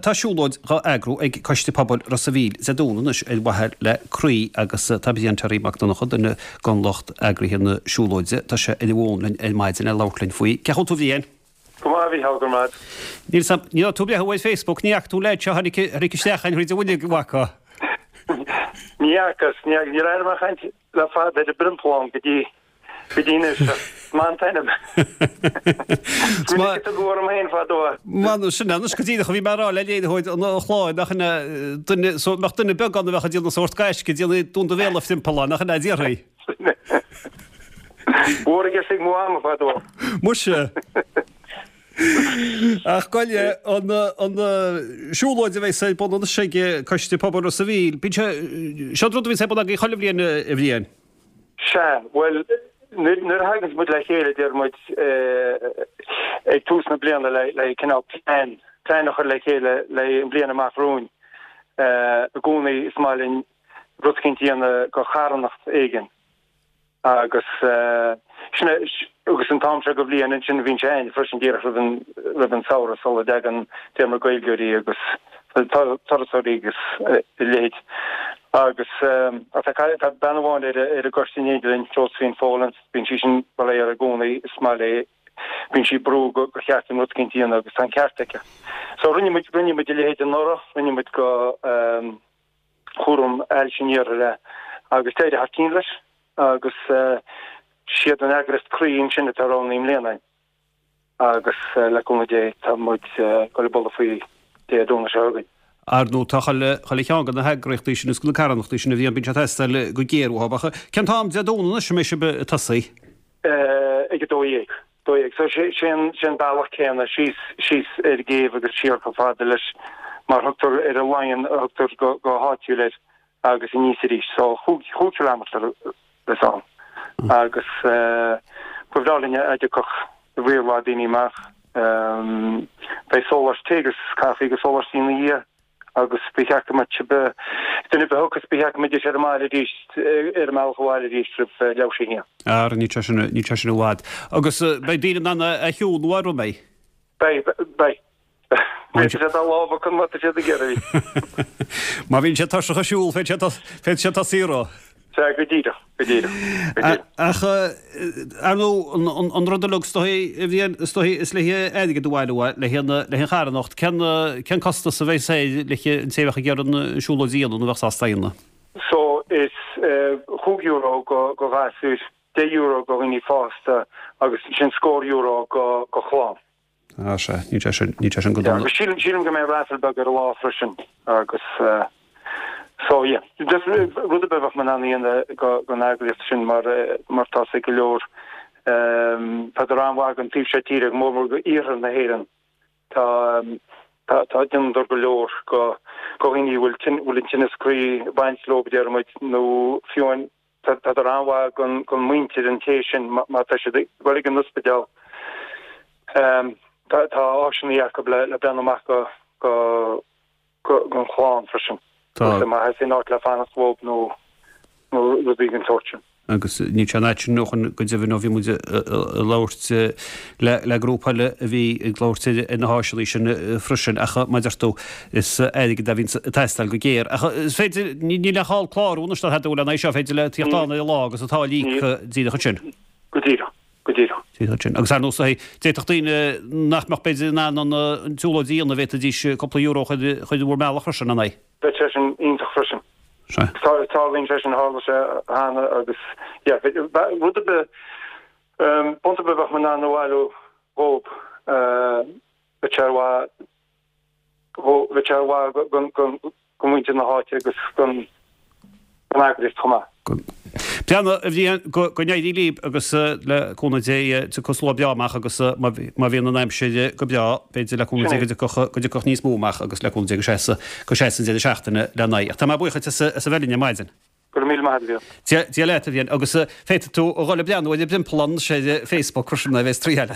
Tá siúlóid dhá eagrú ag Coiste Pobail Ros a' Mhíl Dé Domhnaigh anois ar mhaithe le croí agus tá Brian Terry Mac Donncha, duine den lucht eagraithe na siúlóide, tá sé ar an bhfón linn ar maidin le labhairt linn faoi. Cén chaoi a bhfuil tú a Bhriain? Go maith, a Mhícheál, go raibh maith. Níl 's a'm, ní raibh tú ag breathnú ar Facebook, ní fhaca tú an leaid seo a tháinig, tháinig isteach ann thríd an bhfuinneog, an bhfaca? Ní fhacas, ní fhacas, níor éirigh mé ag caint le fada ar an bPriompallán go dtí, go dtí anois, ach is maith an t-ainm. Is minic a tugadh orm féin fadó é. Bhuel, sin é anois go díreach a bhí mé a rá le léiritheoir an chláir, nach ea, duine, so, mbeadh duine beag ann a bheadh ag déanamh sórt gaisce, ag déanamh dún do bhéal a Phriompalláin, nach ea, a déarfaí. Mhór i gceist ag mo mhama fadó. Muise. Ach gabh i leith, an, an siúlóid a bheas ar bun anois ag Coiste Pobail Ros a' Mhíl, bíonn sé, seo an rud a bhíonns ar bun agaibh chuile bhliain, a Bhriain. Sea, bhuel, nuair, nuair a thaganns muid le chéile, deir muid, ag tús na bliana le, le cineál plean, plean a chur le chéile le an bhliain amach romhainn, i gcónaí is maith linn rud eicínt a dhéanamh go charthanacht éigin. Agus sin é, agus an t-am seo go bhliain ansin bhíonn sé a'ainn freisin díreach roimh an, roimh an samhradh sula dtagann deir muid Gaeilgeoirí agus turasóirí agus a leithéid. Agus tá, tá bean amháin ar, ar an gcoiste in éindí linn, Josephine Folan, bíonn sí sin, bhuel í i gcónaí, is maith léi, bíonn sí ag brú go, gur cheart dúinn rud eicínt a dhéanamh agus tá an ceart aici. So rinne muid, rinne muid a leithéid anuraidh, rinne muid go, chúram ailse an iarthair é agus d'éirigh thar cionn leis agus siad an eagraíocht Croí ansin atá roghnaithe i mbliana agus le cúnamh Dé tá muid ag dul ag bualadh faoi Dé Domhnaigh seo chugainn. Ar ndóigh tá chuile chuile cheann de na heagraíochtaí sin is de na carthanachtaí sin a bhíonn, bíonn sé ag teastáil go géar uathu. Ach cén t-am Dé Domhnaigh anois a mbeidh sibh ag tosaí? Ag 12. 12. So sé an sé an bealach céanna síos síos ar an gcéibh agus siar chomh fada leis mar thugtar ar an Laighean a thugtar go go háitiúil air agus aníos arís. So chúig chúig chileámeter is ann. Agus ba bhreá linn a dtiocfadh riar mhaith daoine amach. Beidh sóláistí tae agus caife agus sóláistí ina dhiaidh. agus ba cheart go mbeadh duine ar bith a thiocfas, ba cheart go mbeidís ar an mbaile arís, ar a mbealach abhaile arís roimh leathuair tar éis a haon. Ara, níl sé sin, níl sé sin i bhfad. Agus beidh daoine in ann a shiúl nó an mbeidh? Beidh, beidh. Féadfaidh siad a lámh acu má tá siad ag iarraidh. Má bhíonn siad tuirseach ag siúl, féadfaidh siad tosaí orthu. Sea, go díreach, go díreach, go díreach. Ach, ar ndóigh, an rud uilig is dóichí, a Bhriain, is dóichí, is le haghaidh airgead a bhailiú, le haghaidh an, le haghaidh an charthanacht, cén, cén costas a bheas air le haghaidh an té a bheadh ag iarraidh an siúlóid a dhéanamh nó a bheadh sásta a dhéanamh? So, is €5 go, go ghasúir, €10 go dhaoine fásta agus ansin scór euro go, go chlann. Ah, sea, níl sé sin, níl sé sin go dona. Agus sílim, sílim go mbeidh raffle beag ar an lá freisin agus so yeah, just rud ar bith a bheadh muid in ann a dhéanamh go, don eagraíocht sin mar, mar tá sé go leor, tádar an-mhaith don taobh seo tíre, go mór mór go iarthar na hÉireann. Tá, tá, tá, déanadar go leor go, go dhaoine a bhfuil tinn, bhfuil an tinneas croí ag baint leo, deir muid, nó fiú amháin Tádar an-mhaith don muintir an té sin má tá siad ag dul ag an ospidéal. Tá áiseanna acu le breathnú amach go don chlann freisin. Tá. Má theastaíonn áit le fanacht dhóibh nó rudaí den tsórt sin. Agus níl sé an fhad sin ó shoin go deimhin ó bhí muid ag labhairt le grúpa eile a bhí ag labhairt ar na háiseanna sin freisin. Ach mar a deir tú, is airgead a bhíonn ag teastáil go géar. Ach is féidir, níl aon chall clárú anois ná tada le haghaidh seo, féidir le tíocht ann ar an lá agus an táille a íoc díreach ansin. Go díreach, go díreach. Díreach ansin. Agus ar ndóigh, d'fhéadfadh daoine nach mbeadh b'fhéidir in ann an tsiúlóid a dhéanamh, bhféadfaidís cúpla euro a chur i bhur mbealach freisin, an ea? Bheadh sé sin iontach freisin. Sea. Tarlaíonn sé sin, tharla sé cheana agus yeah, rud ar bith, punt ar bith a bheadh muid in ann a bhailiú dhóibh, bheadh sé ar mhaith, bheadh sé ar mhaith don mhuintir na háite agus don eagraíocht chomh maith. Breathnaigh, a Bhriain, go n-éirí libh agus le cúnamh Dé tiocfaidh slua breá amach agus má bhíonn an aimsir go breá, b'fhéidir le cúnamh Dé go dtiocfadh, go dtiocfadh níos mó amach agus le cúnamh Dé go seasa, go seasa an deireadh seachtaine le n-aghaidh. Ach tá mé buíoch duit as a bheith linn ar maidin. Go raibh míle maith agat, a Mhícheáil. Dia leat, a Bhriain, agus féadfaidh tú a dhul ag breathnú ar an bPriompallán anois ar Facebook freisin, a bheas triail.